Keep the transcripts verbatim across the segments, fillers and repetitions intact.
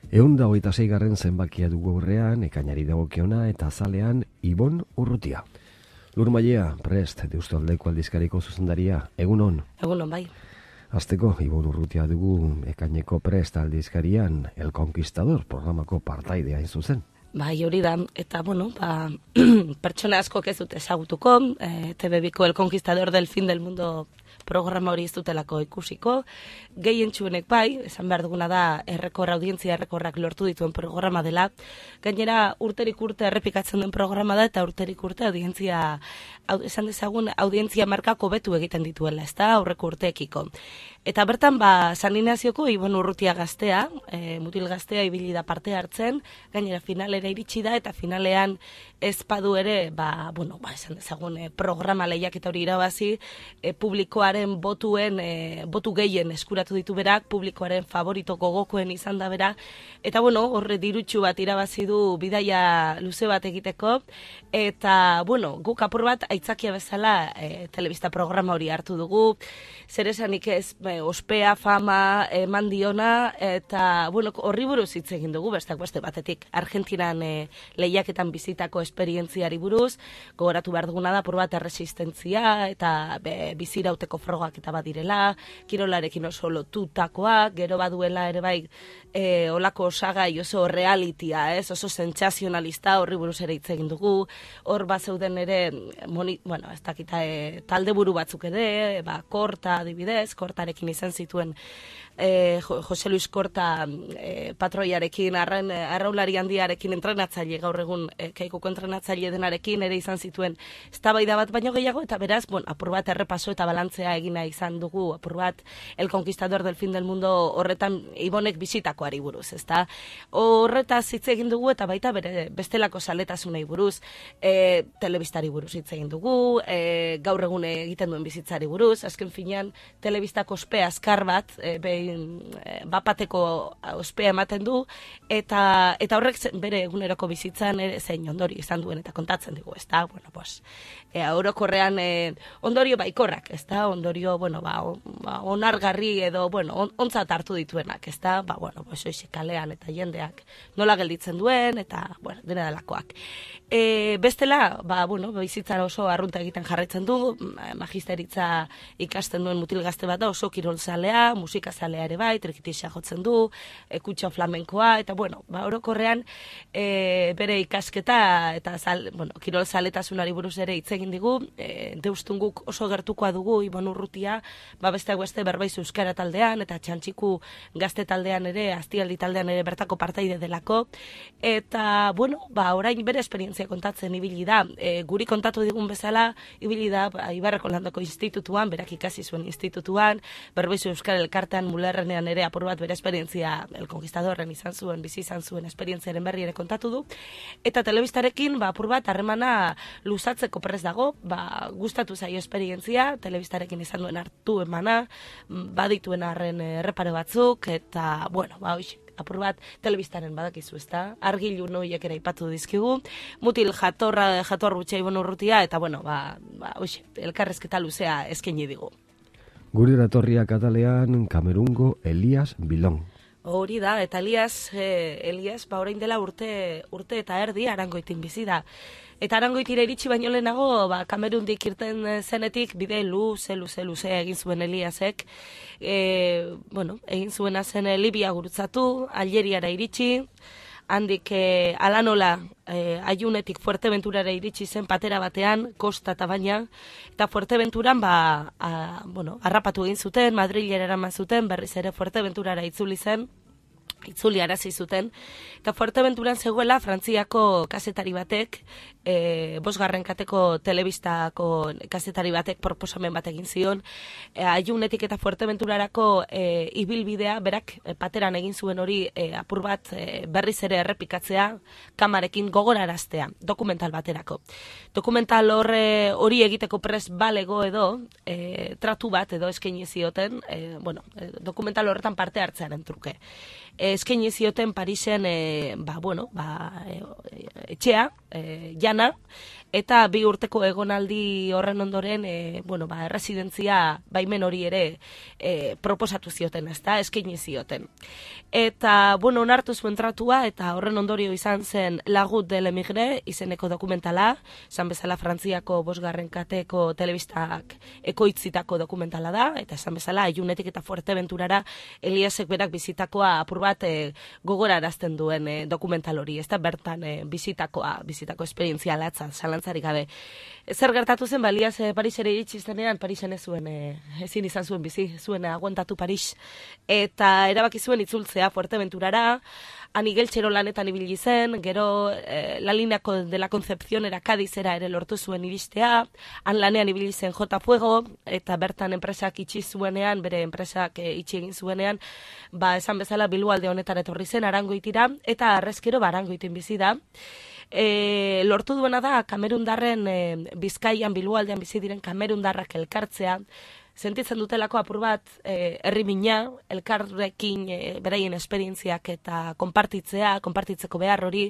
Ehun da hogeita seigarren zenbakia dugu aurrean, ekainari dagokiona eta azalean Ibon Urrutia. Lur Mailea, prest, Deustaldeko aldizkariko zuzendaria, egun on? Egun on, bai. Azteko, Ibon Urrutia dugu ekaineko prest aldizkarian El Conquistador programako partaidea hain zuzen. Bai, hori da, eta, bueno, ba, pertsona askok ez dute ezagutuko, e, T V biko El Conquistador del Fin del Mundo programa hori ez dutelako ikusiko, gehien txuenek bai, esan behar duguna da errekor, audientzia errekorrak lortu dituen programa dela, gainera urterik urte errepikatzen den programa da, eta urterik urte audientzia, esan dezagun, audientzia markako betu egiten dituela, ez da, aurreko urteekiko. Eta bertan, ba, San Ignazioko Ibon Urrutia gaztea, e, mutil gaztea ibili da parte hartzen, gainera finalera iritsi da, eta finalean ez badu ere, ba, bueno, ba, esan dezagun, e, programa lehiaketa hori irabazi, e, publikoaren botuen, e, botu gehien eskuratu ditu berak, publikoaren favorito gogokoen izan da bera, eta, bueno, horre dirutxu bat irabazi du bidaia luze bat egiteko, eta, bueno, guk apur bat aitzakia bezala e, telebista programa hori hartu dugu, zer esanik ez, e, ospea, fama, eman diona, eta, bueno, horri buruz hitz egin dugu, bestak beste batetik, Argentinan e, lehiaketan bizitako esperientziari buruz, gogoratu behar duguna da, apur bat erresistentzia, eta be, bizirauteko frogak eta badirela, kirolarekin oso lotutakoak, gero baduela ere bai, e, olako osagai oso realitia, ez, oso sentsazionalista, horri buruz ere hitz egin dugu, hor bat zeuden ere, moni, bueno, ez dakita, e, talde buru batzuk ere, ba, Korta adibidez, Kortarekin izan zituen e, Jose Luis Korta e, patroiarekin, arren, arraulari handiarekin entrenatzaile, gaur egun e, Keikuko entrenatzaile denarekin ere izan zituen eztabaida bat baino gehiago, eta beraz, bon, apur bat errepaso eta balantzea egina izan dugu, apur bat El Conquistador del Fin del Mundo horretan Ibonek bizitakoari buruz, ezta? Horretaz hitz egin dugu eta baita bere bestelako saletasunei buruz, e, telebistari buruz hitz egin dugu, e, gaur egun egiten duen bizitzari buruz, azken finean telebistako ospea azkar bat, e, behin e, bapateko ospea ematen du, eta eta horrek bere eguneroko bizitzan ere zein ondorio izan duen eta kontatzen digu, ezta? Bueno, pues, e, orokorrean e, ondorio baikorrak, ezta? Ondorio, bueno, ba, on, ba onargarri edo, bueno, on, ontzat hartu dituenak, ezta? Ba, bueno, pues, oixe, kalean eta jendeak nola gelditzen duen, eta, bueno, dena delakoak. E, bestela, ba, bueno, bizitzara oso arrunta egiten jarraitzen du, magisteritza ikasten duen mutil gazte bat da, oso kirolzalea, musikazalea ere bai, trikitisa jotzen du, e, kutxo flamenkoa, eta bueno, ba, orokorrean e, bere ikasketa eta zal, bueno, kirolzaletasunari buruz ere hitz egin digu, e, deustunguk oso gertukoa dugu, Ibon Urrutia, ba, besteak beste Berbaizu euskara taldean, eta Txantxiku gazte taldean ere, Aztialdi taldean ere bertako partaide delako, eta, bueno, ba, orain bere esperientzia kontatzen ibili da, e, guri kontatu digun bezala, ibili da, ba, Ibarreko Landoko institutuan, berak ikasi zuen institutuan, Berbaizu euskara elkartean mulerrenean ere apur bat bere esperientzia El Conquistadorren izan zuen, bizi izan zuen esperientziaren berri ere kontatu du, eta telebistarekin, ba, apur bat harremana luzatzeko prest dago, ba, gustatu zaio esperientzia, telebistarekin izan duen hartu emana, badituen arren errepare batzuk, eta, bueno, ba, hoxe, apur bat, telebistaren badakizu, ezta? Argilu noiek ere aipatu dizkigu, mutil jatorra, jator butxa Ibon Urrutia, eta, bueno, ba, ba hoxe, elkarrezketa luzea eskaini digu. Guri eratorria katalean Kamerungo Elias Bilon. Hori da, eta Elias, eh, Elias, ba, orain dela urte, urte eta erdi Arangoitin bizi da. Eta Arangoitira iritsi baino lehenago, ba, Kamerundik irten zenetik, bide luze, luze, luze egin zuen Eliasek. E, bueno, egin zuena zen Libia gurutzatu, Algeriara iritsi, handik e, alanola e, Aiunetik Fuerteventurara iritsi zen patera batean, kosta eta baina, eta Fuerteventuran, ba, a, bueno, harrapatu egin zuten, Madrilera eraman zuten, berriz ere Fuerteventurara itzuli zen, itzuli arazi zuten, eta Fuerteventuran zegoela Frantziako kazetari batek, e, bosgarren kateko telebistako kazetari batek proposamen bat egin zion, e, Aiunetik eta Fuerteventurarako e, ibilbidea, berak e, pateran egin zuen hori e, apur bat e, berriz ere errepikatzea, kamarekin gogoraraztea, dokumental baterako. Dokumental horre hori egiteko pres balego edo, e, tratu bat edo eskaini zioten, e, bueno, e, dokumental horretan parte hartzearen truke. Eskaini zioten Parisen e, ba, bueno, ba, e, etxea, e, jana, eta bi urteko egonaldi horren ondoren, e, bueno, ba, erresidentzia baimen hori ere e, proposatu zioten, ezta, eskaini zioten. Eta, bueno, onartu zuen tratua, eta horren ondorio izan zen Lagut de l'Emigre izeneko dokumentala, esan bezala Frantziako bosgarren kateko telebistak ekoitzitako dokumentala da, eta esan bezala Ilunetik eta Fuerteventurara Eliasek berak bizitakoa apur bat e, gogorarazten duen e, dokumental hori, ez da bertan e, bizitakoa, bizitako esperientzia latza, zalantzarik gabe. Zer gertatu zen, ba, Elias e, Parisera iritsi zenean, Parisen ez zuen, e, ezin izan zuen bizi, zuen aguantatu Paris, eta erabaki zuen itzultzea Fuerteventurara, han igeltxero lanetan ibili zen, gero eh, la lineako de la Concepción era Cadizera ere lortu zuen iristea, han lanean ibili zen J Fuego, eta bertan enpresak itxi zuenean, bere enpresak e, itxi egin zuenean, ba esan bezala Bilboalde honetan etorri zen Arangoitira, eta arrezkero ba Arangoitin bizi da. E, lortu duena da Kamerundarren e, Bizkaian Bilboaldean bizi diren Kamerundarrak elkartzea, sentitzen dutelako apur bat eh, herrimina, elkarrekin eh, beraien esperientziak eta konpartitzea, konpartitzeko behar hori,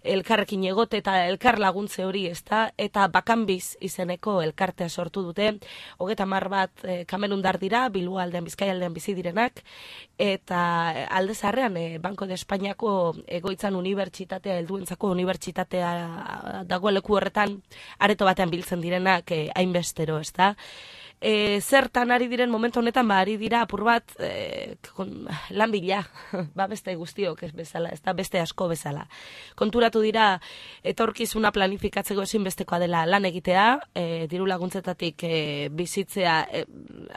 elkarrekin egote eta elkar laguntze hori, ezta, eta Bakanbiz izeneko elkartea sortu dute, hogeita hamar bat eh, Kamerundar dira, Bilboaldean, Bizkaialdean bizi direnak, eta alde zaharrean eh, Banco de Espainiako egoitzan unibertsitatea, helduentzako unibertsitatea dago leku horretan, areto batean biltzen direnak eh, hainbestero, ezta. E, zertan ari diren momentu honetan, ba, ari dira apur bat e, kon, lan bila, ba, beste guztiok ez bezala, ez da beste asko bezala. Konturatu dira, etorkizuna planifikatzeko ezinbestekoa dela lan egitea, e, diru laguntzetatik e, bizitzea e,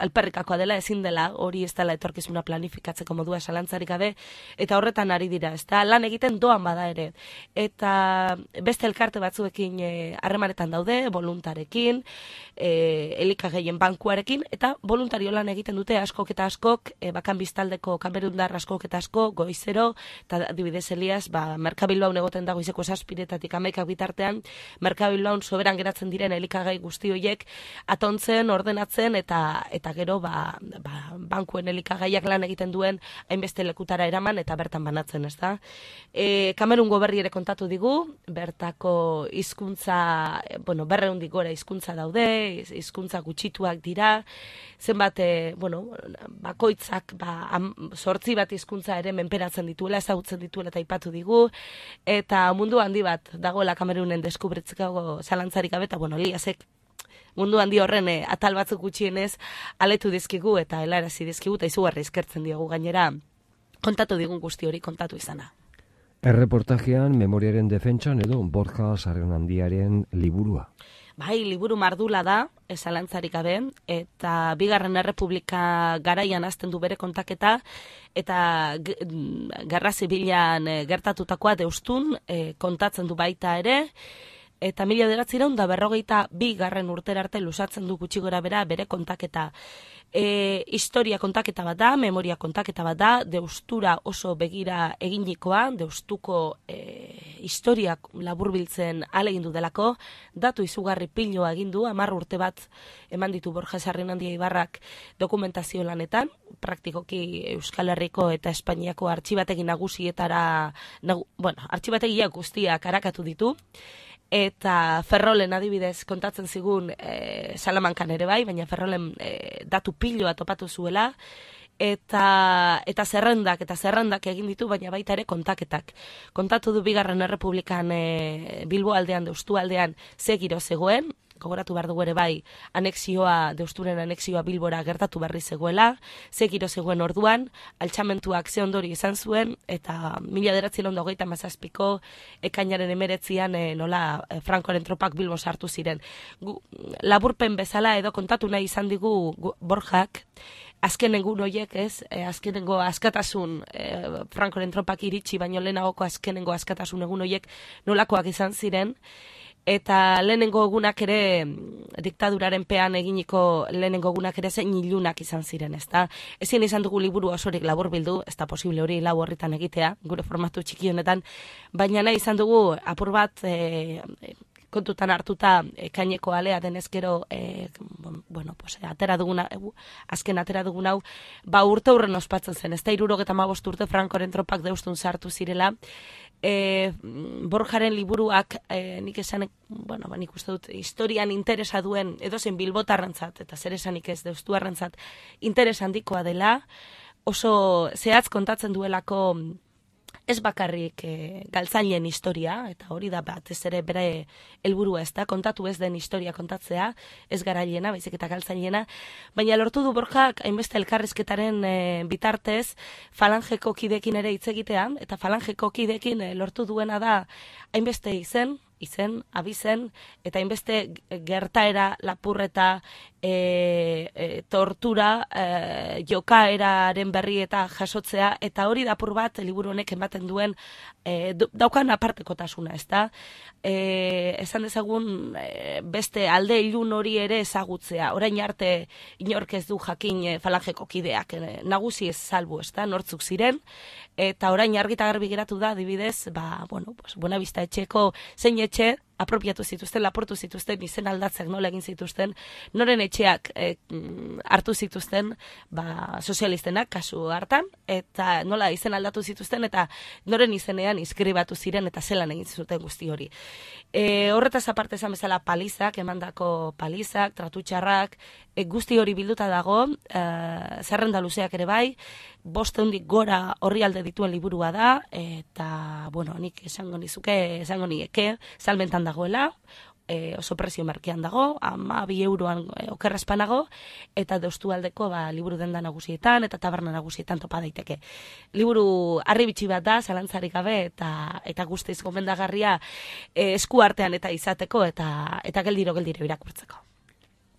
alperrikakoa dela, ezin dela, hori ez dela etorkizuna planifikatzeko modua zalantzarik gabe, eta horretan ari dira, ez da lan egiten doan bada ere. Eta beste elkarte batzuekin harremanetan daude, voluntarekin, e, elikagaien bankuarekin, eta voluntario lan egiten dute askok eta askok, e, Bakanbiz taldeko Kamerundar askok eta asko, goizero, eta adibidez Elias, ba, Merkabilbaun egoten dago izeko zazpiretatik amaikak bitartean, Merkabilbaun soberan geratzen diren elikagai guzti horiek atontzen, ordenatzen, eta eta gero ba, ba, bankuen elikagaiak lan egiten duen hainbeste lekutara eraman, eta bertan banatzen, ez da. E, Kamerun goberri ere kontatu digu, bertako hizkuntza, bueno, berreundik gora hizkuntza daude, hizkuntza gutxituak dira, zenbat, e, bueno, bakoitzak, ba, zortzi bat hizkuntza ere menperatzen dituela, ezagutzen dituela eta aipatu digu, eta mundu handi bat dagoela Kamerunen deskubritzeko zalantzarik gabe, eta, bueno, Eliasek mundu handi horren e, atal batzuk gutxienez aletu dizkigu eta helarazi dizkigu, eta izugarri eskertzen diogu gainera kontatu digun guzti hori kontatu izana. Erreportajean memoriaren defentsan edo Borja Sarrionandiaren liburua. Bai, liburu mardula da, zalantzarik gabe, eta Bigarren Errepublika garaian hasten du bere kontaketa, eta gerra zibilan gertatutakoa deustun e, kontatzen du baita ere, eta mila bederatziehun eta berrogeita bigarren urtera arte luzatzen du gutxi gora bera bere kontaketa. E, historia kontaketa bat da, memoria kontaketa bat da, deustura oso begira eginikoa, deustuko e, historiak laburbiltzen alegindu delako, datu izugarri piloa egindu, hamar urte bat eman ditu Borja Sarrionandia Ibarrak dokumentazio lanetan, praktikoki Euskal Herriko eta Espainiako artxibategi nagusietara, nagu, bueno, artxibategiak guztiak arakatu ditu, eta Ferrolen adibidez kontatzen zigun e, Salamankan ere bai, baina Ferrolen e, datu piloa topatu zuela, eta eta zerrendak eta zerrendak egin ditu, baina baita ere kontaketak. Kontatu du Bigarren Errepublikan e, Bilboaldean, Deustualdean ze giro zegoen, gogoratu behar dugu ere bai, anexioa, Deusturen anexioa Bilbora gertatu berri zegoela, ze giro zegoen orduan, altxamentuak ze ondori izan zuen, eta mila bederatziehun eta hogeita hamazazpiko ekainaren emeretzian e, nola e, Francoren tropak Bilbo sartu ziren. Gu, laburpen bezala edo kontatu nahi izan digu gu, Borjak, azken egun horiek, ez, e, azkenengo askatasun, e, Francoren tropak iritsi, baino lehenagoko azkenengo askatasun egun horiek nolakoak izan ziren, eta lehenengo egunak ere diktaduraren pean eginiko lehenengo egunak ere zein ilunak izan ziren, ezta? Ezin izan dugu liburu osorik labur bildu, ez da posible hori lau horretan egitea, gure formatu txiki honetan, baina nahi izan dugu apur bat e, kontutan hartuta ekaineko alea denezkero, e, bueno, pues, atera duguna, e, azken atera dugun hau, ba urte hurren ospatzen zen, ez da hirurogeta hamabost urte Frankoren tropak deustun sartu zirela, e, Borjaren liburuak, e, nik esan, bueno, ba, nik uste dut, historian interesa duen, edozen bilbotarrentzat, eta zer esanik ez deustuarrentzat, interes handikoa dela, oso zehatz kontatzen duelako, ez bakarrik e, galtzaileen historia, eta hori da batez ere bere helburua ez da, kontatu ez den historia kontatzea, ez garaileena, baizik eta galtzaileena, baina lortu du Borjak hainbeste elkarrizketaren e, bitartez falangeko kidekin ere hitz egitea, eta falangeko kidekin e, lortu duena da hainbeste izen, izen, abizen, eta hainbeste gertaera, lapurreta, e, e, tortura, e, jokaeraren berri eta jasotzea, eta hori dapur bat liburu honek ematen duen e, daukan apartekotasuna, ez da? E, esan dezagun e, beste alde ilun hori ere ezagutzea, orain arte inork ez du jakin e, falangeko kideak, e, nagusi ez salbu, ez da? Nortzuk ziren, eta orain argita garbi geratu da, adibidez, ba, bueno, pues, Buenavista etxeko zein etxe apropiatu zituzten, laportu zituzten, izen aldatzeak nola egin zituzten, noren etxeak e, hartu zituzten, ba, sozialistenak kasu hartan, eta nola izen aldatu zituzten, eta noren izenean inskribatu ziren, eta zelan egin zuten guzti hori. E, horretaz aparte esan bezala palizak, emandako palizak, tratutxarrak, e, guzti hori bilduta dago, e, zerrenda luzeak ere bai, boste hundik gora horri alde dituen liburua da, eta, bueno, nik esango nizuke, esango nieke, salmentan dagoela, e, oso prezio merkean dago, ama bi euroan e, okerrezpanago, eta deustualdeko ba, liburu denda nagusietan, eta taberna nagusietan topa daiteke. Liburu harribitxi bat da, zalantzarik gabe, eta eta guztiz gomendagarria e, esku artean eta izateko, eta eta geldiro-geldiro irakurtzeko.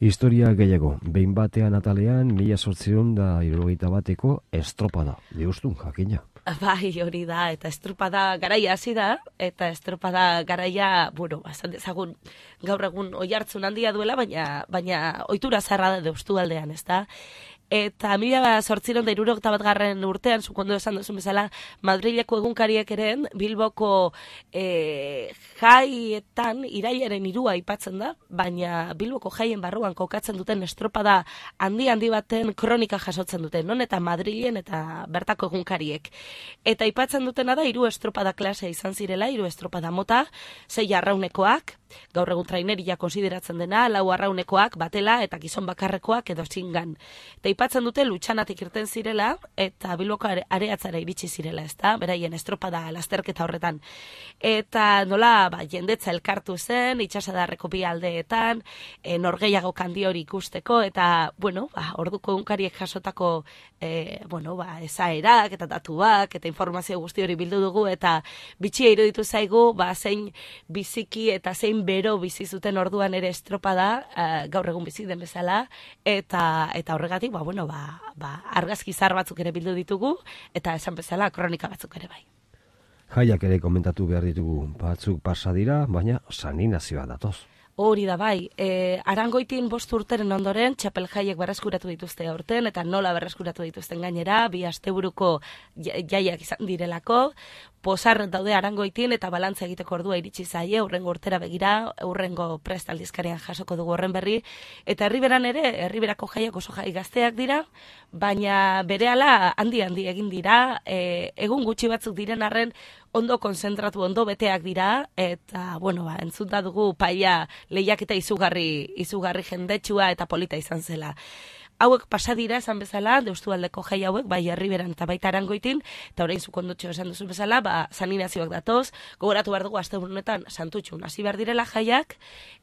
Historia gehiago, behin batean atalean, mila sortzion da hirurogeita bateko estropada, deustun jakina. Bai, hori da, eta estropada garaia hasi da, eta estropada garaia, bueno, esan dezagun gaur egun oihartzun handia duela, baina baina ohitura zarra da deustu aldean, ez da? Eta mila zortziron da hirurogeita batgarren urtean, zukondo esan duzun bezala, Madrileko egunkariek ere, Bilboko e, jaietan irailaren hirua aipatzen da, baina Bilboko jaien barruan kokatzen duten estropada handi-handi baten kronika jasotzen duten, non? Eta Madrilen eta bertako egunkariek. Eta aipatzen dutena da, hiru estropada klase izan zirela, hiru estropada mota, sei arraunekoak, gaur egun traineria konsideratzen dena, lau arraunekoak, batela eta gizon bakarrekoak edo zingan. Eta aipatzen dute lutxanatik irten zirela eta Bilboko areatzara iritsi zirela, ezta? Beraien estropada lasterketa horretan. Eta nola, ba, jendetza elkartu zen, itsasadarreko bi aldeetan, e, norgeiago kandi hori ikusteko, eta, bueno, ba, orduko egunkariek jasotako e, bueno, ba, esaerak eta datuak eta informazio guzti hori bildu dugu, eta bitxia iruditu zaigu, ba, zein biziki eta zein bero bizi zuten orduan ere estropada, uh, gaur egun bizi den bezala, eta eta horregatik, ba, bueno, ba, ba, argazki zar batzuk ere bildu ditugu, eta esan bezala kronika batzuk ere bai. Jaiak ere komentatu behar ditugu, batzuk pasa dira, baina saninazioa datoz. Hori da bai, e, Arangoitin bost urteren ondoren txapel jaiek berreskuratu dituzte aurten, eta nola berreskuratu dituzten gainera, bi asteburuko jaiak izan direlako, posar daude Arangoitin eta balantza egiteko ordua iritsi zaie, urrengo urtera begira, urrengo prest aldizkarian jasoko dugu horren berri, eta herriberan ere, herriberako jaiak oso jai gazteak dira, baina berehala handi-handi egin dira, e, egun gutxi batzuk diren arren, ondo konzentratu, ondo beteak dira, eta, bueno, ba, entzunta dugu paia lehiaketa izugarri, izugarri jendetsua eta polita izan zela. Hauek pasa dira, esan bezala, deustualdeko jai hauek, bai herriberan eta baita Arangoitin, eta orain zukondutxo esan duzu bezala, ba, saninazioak datoz, gogoratu behar dugu asteburunetan santutxun hasi behar direla jaiak,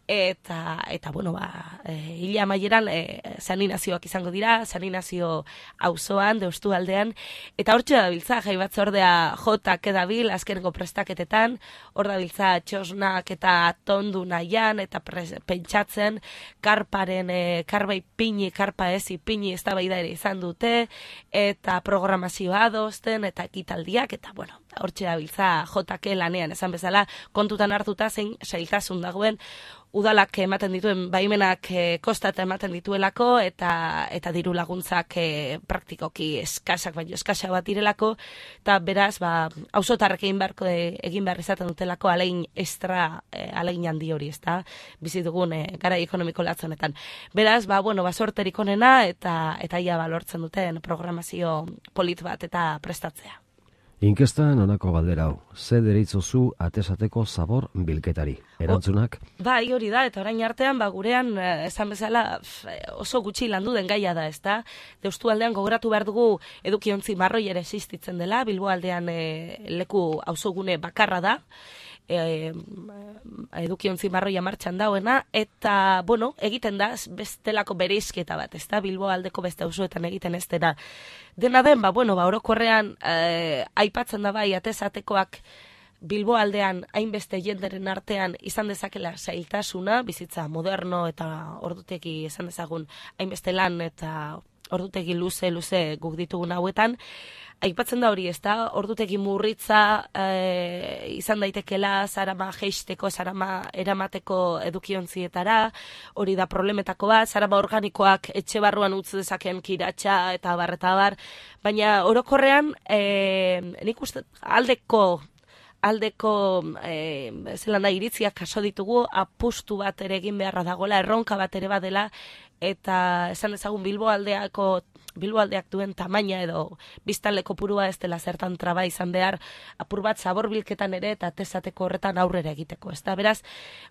eta, eta bueno, ba, e, hila amaieran e, saninazioak izango dira, saninazio auzoan, deustualdean, eta hortxe da biltza, jai batzordea jotak edabil, azkenengo prestaketetan, hor da biltza txosnak eta tondu nahian, eta pres, pentsatzen, karparen, e, karbai pini, karpa ez, ipini eztabaida ere izan dute, eta programazioa adosten, eta ekitaldiak, eta bueno, hortxe da biltza jotake lanean, esan bezala, kontutan hartuta zein sailtasun dagoen, udalak ematen dituen baimenak e, kostata ematen dituelako eta eta diru laguntzak e, praktikoki eskasak baino eskasa bat direlako, eta beraz ba auzotarrek egin beharko e, egin behar izaten dutelako alegin extra e, alegin handi hori, ezta? Bizi dugun e, garai ekonomiko latz honetan. Beraz, ba bueno, ba sorterik onena eta eta ia ba lortzen duten programazio polit bat eta prestatzea. Inkestan honako galdera hau, ze deritzozu atesateko zabor bilketari? Erantzunak? O, bai, hori da, eta orain artean, ba, gurean, esan bezala, oso gutxi landu den gaia da, ezta? Deustu aldean gogoratu behar dugu edukiontzi marroi ere existitzen dela, Bilbo aldean e, leku auzogune bakarra da, e, edukiontzi marroia martxan dauena, eta, bueno, egiten da, bestelako bereizketa bat, ezta? Bilbo aldeko beste auzoetan egiten ez dena. Dena den, ba, bueno, ba, orokorrean eh, aipatzen da bai atesatekoak Bilbo aldean hainbeste jenderen artean izan dezakela zailtasuna, bizitza moderno eta ordutegi esan dezagun hainbeste lan eta ordutegi luze luze guk ditugun hauetan. Aipatzen da hori, ezta? Ordutegi murritza e, izan daitekela zarama jeisteko, zarama eramateko edukiontzietara, hori da problemetako bat, zarama organikoak etxe barruan utz dezaken kiratxa eta bar eta bar, baina orokorrean e, nik uste aldeko aldeko e, zelan da iritziak jaso ditugu, apustu bat ere egin beharra dagoela, erronka bat ere badela, eta esan ezagun Bilbo aldeako Bilbo aldeak duen tamaina edo biztanle kopurua ez dela zertan traba izan behar, apur bat zabor bilketan ere eta atesateko horretan aurrera egiteko. Ez da, beraz,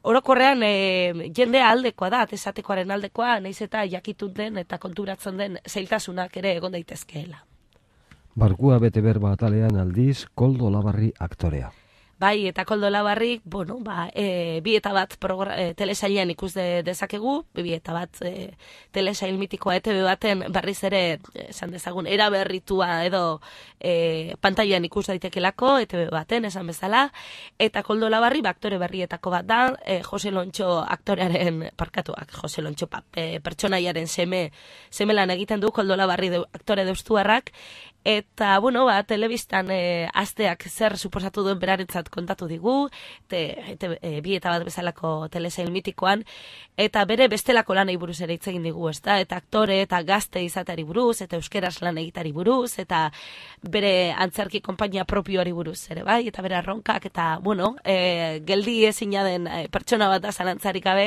orokorrean e, jendea aldekoa da, atesatekoaren aldekoa, nahiz eta jakitun den eta konturatzen den zailtasunak ere egon daitezkeela. Barkua bete berba atalean aldiz, Koldo Olabarri aktorea. Bai, eta Koldo Olabarrik, bueno, ba, e, bi eta bat e, telesailean ikus de, dezakegu, bi eta bat e, telesail mitikoa E T B baten berriz ere, esan dezagun, eraberritua edo e, pantailan ikus daitekelako, E T B baten, esan bezala, eta Koldo Olabarri, ba, aktore berrietako bat da, e, Jose Lontxo aktorearen, parkatuak, Jose Lontxo pa, e, pertsonaiaren seme, semelan egiten du Koldo Olabarri de, aktore deustuarrak, eta, bueno, ba, telebistan e, asteak zer suposatu duen berarentzat kontatu digu, te, te, e, bi eta bat bezalako telesail mitikoan, eta bere bestelako lanei buruz ere hitz egin digu, ezta? Eta aktore eta gazte izateari buruz, eta euskeraz lan egitari buruz, eta bere antzerki konpainia propioari buruz ere, bai? Eta bere arronkak, eta, bueno, e, geldi ezina den e, pertsona bat da zalantzarik gabe,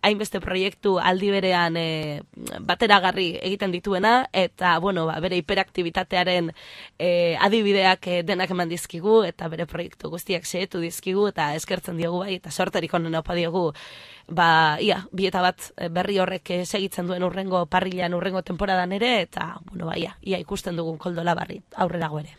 hainbeste proiektu aldi berean e, bateragarri egiten dituena, eta, bueno, ba, bere hiperaktibitatearen E, adibideak e, denak eman dizkigu eta bere proiektu guztiak xehetu dizkigu eta eskertzen diogu bai eta sorterik onen opa diogu ba, ia, bi eta bat berri horrek segitzen duen urrengo parrilan urrengo temporadan ere eta, bueno, ba, ia, ia ikusten dugun Koldo Olabarri aurrerago ere.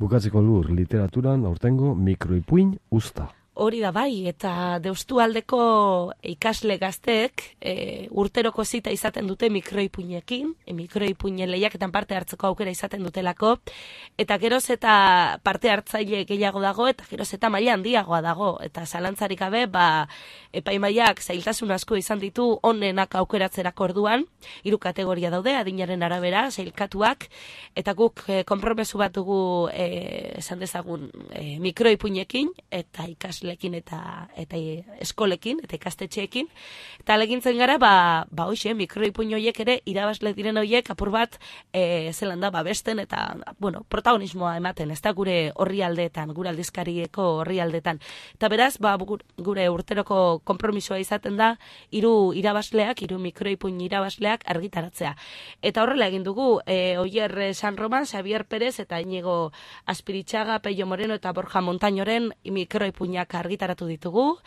Bukatzeko lur literaturan aurtengo mikroipuin usta. Hori da bai, eta Deustu aldeko ikasle gazteek e, urteroko zita izaten dute mikroipuinekin, e, mikroipuinen lehiaketan parte hartzeko aukera izaten dutelako, eta geroz eta parte hartzaile gehiago dago, eta geroz eta maila handiagoa dago, eta zalantzarik gabe, ba, epaimaiak zailtasun asko izan ditu onenak aukeratzerako orduan, hiru kategoria daude, adinaren arabera, sailkatuak, eta guk e, konpromesu bat dugu e, esan dezagun e, mikroipuinekin, eta ikasle lekin eta eta eskolekin eta ikastetxeekin eta legintzen gara ba ba hoxe mikroipuin hoiek ere irabazle diren hoiek apur bat e, zelan da babesten eta bueno protagonismoa ematen ez da gure orrialdeetan gure aldizkarieko orrialdeetan eta beraz ba gure urteroko konpromisoa izaten da hiru irabazleak hiru mikroipuin irabazleak argitaratzea eta horrela egin dugu e, Oier San Roman, Xavier Pérez eta Iñigo Aspiritxaga, Pello Moreno eta Borja Montañoren mikroipuinak argitaratu ditugu,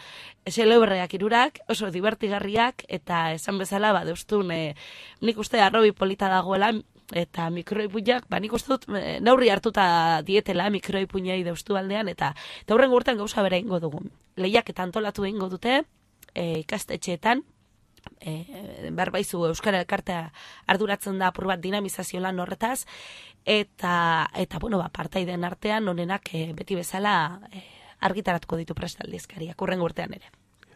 xelebreak irurak, oso divertigarriak, eta esan bezala, ba, deustun, e, nik uste arrobi polita dagoela, eta mikroipuinak, ba, nik uste dut, e, neurri hartuta dietela mikroipuinei deustu aldean, eta taurren gurten gauza bera ingo dugu. Lehiak eta antolatu ingo dute, e, ikastetxeetan, E, berbaizu Euskara Elkartea arduratzen da apur bat dinamizazio lan horretaz eta, eta bueno, ba, partaideen artean onenak e, beti bezala e, argitaratuko ditu prest aldizkariak urrengo urtean ere.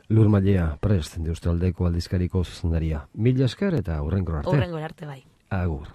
Lur Mailea, prest, Deustu aldeko aldizkariko zuzendaria. Mila esker eta urrengo arte. Urrengo arte bai. Agur.